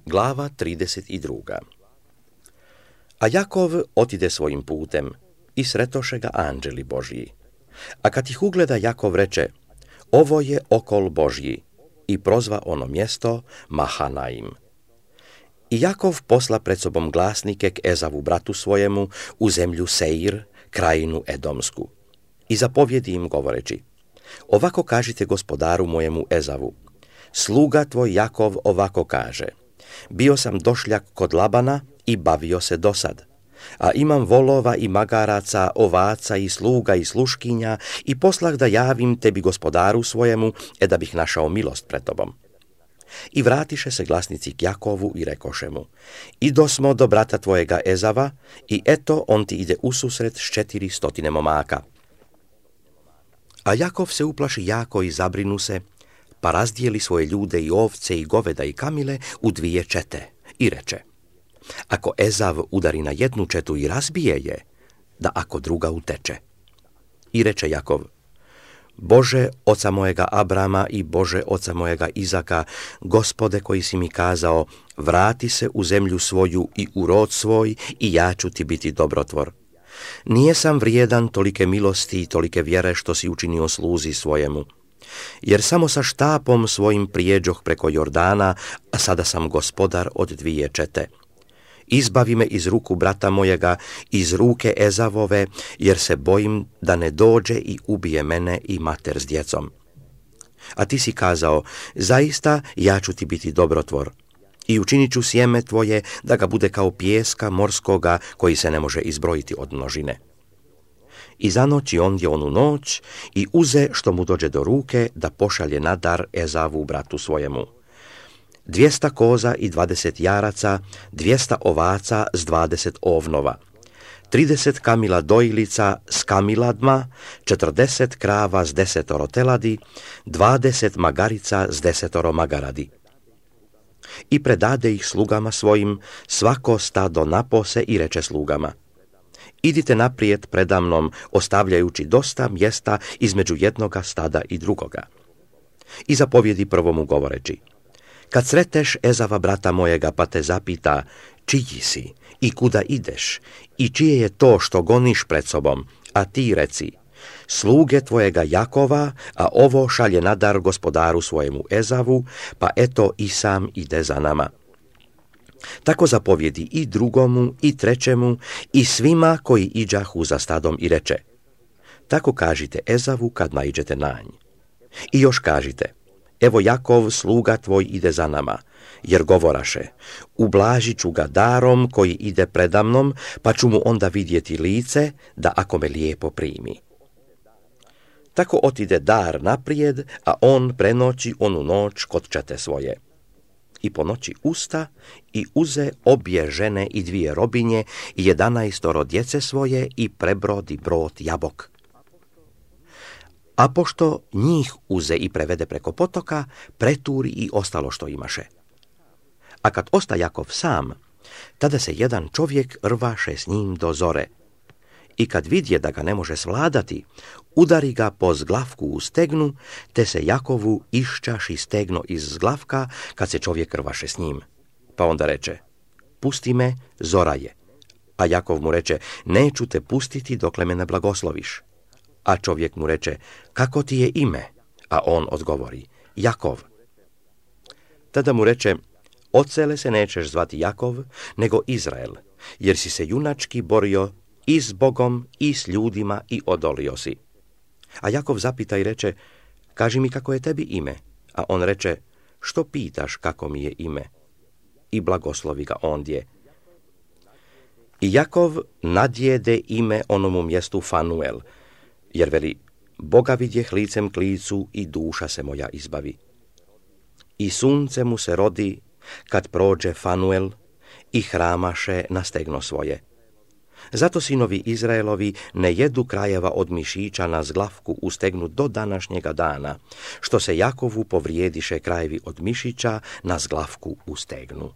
Glava 32. A Jakov otide svojim putem i sretoše ga anđeli Božji. A kad ih ugleda, Jakov reče: ovo je okol Božji, i prozva ono mjesto Mahanaim. I Jakov posla pred sobom glasnike k Ezavu bratu svojemu u zemlju Seir, krajinu Edomsku. I zapovjedi im govoreći: ovako kažite gospodaru mojemu Ezavu: sluga tvoj Jakov ovako kaže: bio sam došljak kod Labana i bavio se dosad, a imam volova i magaraca, ovaca i sluga i sluškinja, i poslah da javim tebi gospodaru svojemu, da bih našao milost pred tobom. I vratiše se glasnici k Jakovu i rekoše mu: idosmo do brata tvojega Ezava, i eto on ti ide ususret s 400 momaka. A Jakov se uplaši jako i zabrinu se, pa razdijeli svoje ljude i ovce i goveda i kamile u 2 čete i reče: ako Ezav udari na jednu četu i razbije je, da ako druga uteče. I reče Jakov: Bože oca mojega Abrama i Bože oca mojega Izaka, Gospode koji si mi kazao: vrati se u zemlju svoju i u rod svoj, i ja ću ti biti dobrotvor. Nije sam vrijedan tolike milosti i tolike vjere što si učinio sluzi svojemu. Jer samo sa štapom svojim prijeđoh preko Jordana, a sada sam gospodar od 2 čete. Izbavi me iz ruku brata mojega, iz ruke Ezavove, jer se bojim da ne dođe i ubije mene i mater s djecom. A ti si kazao: zaista ja ću ti biti dobrotvor, i učinit ću sjeme tvoje da ga bude kao pijeska morskoga koji se ne može izbrojiti od množine. I zanoći ondje onu noć i uze što mu dođe do ruke da pošalje na dar Ezavu bratu svojemu: 200 koza i 20 jaraca, 200 ovaca s 20 ovnova, 30 kamila dojilica s kamiladma, 40 krava s 10 teladi, 20 magarica s 10 magaradi. I predade ih slugama svojim, svako stado napose, i reče slugama: idite naprijed predamnom, ostavljajući dosta mjesta između jednoga stada i drugoga. I zapovjedi prvomu govoreći: kad sreteš Ezava brata mojega pa te zapita: čiji si i kuda ideš i čije je to što goniš pred sobom, a ti reci: sluge tvojega Jakova, a ovo šalje na dar gospodaru svojemu Ezavu, pa eto i sam ide za nama. Tako zapovjedi i drugomu i trećemu i svima koji iđahu za stadom i reče: tako kažite Ezavu kad naiđete na nj. I još kažite: evo Jakov sluga tvoj ide za nama, jer govoraše: ublažit ću ga darom koji ide predamnom, pa ću mu onda vidjeti lice, da ako me lijepo primi. Tako otide dar naprijed, a on prenoći onu noć kod čete svoje. I po noći usta i uze obje žene i 2 robinje i 11 djece svoje i prebrodi brod Jabok. A pošto njih uze i prevede preko potoka, preturi i ostalo što imaše. A kad osta Jakov sam, tada se jedan čovjek rvaše s njim do zore. I kad vidje da ga ne može svladati, udari ga po zglavku u stegnu, te se Jakovu iščaši stegno iz zglavka kad se čovjek rvaše s njim. Pa onda reče: pusti me, zora je. A Jakov mu reče: neću te pustiti dokle me ne blagosloviš. A čovjek mu reče: kako ti je ime? A on odgovori: Jakov. Tada mu reče: odsele se nećeš zvati Jakov, nego Izrael, jer si se junački borio i s Bogom i s ljudima i odolio si. A Jakov zapita i reče: kaži mi kako je tebi ime? A on reče: što pitaš kako mi je ime? I blagoslovi ga ondje. I Jakov nadjede ime onomu mjestu Fanuel, jer veli: Boga vidjeh licem k licu i duša se moja izbavi. I sunce mu se rodi kad prođe Fanuel i hramaše na stegno svoje. Zato sinovi Izraelovi ne jedu krajeva od mišića na zglavku u stegnu do današnjega dana, što se Jakovu povrijediše krajevi od mišića na zglavku u stegnu.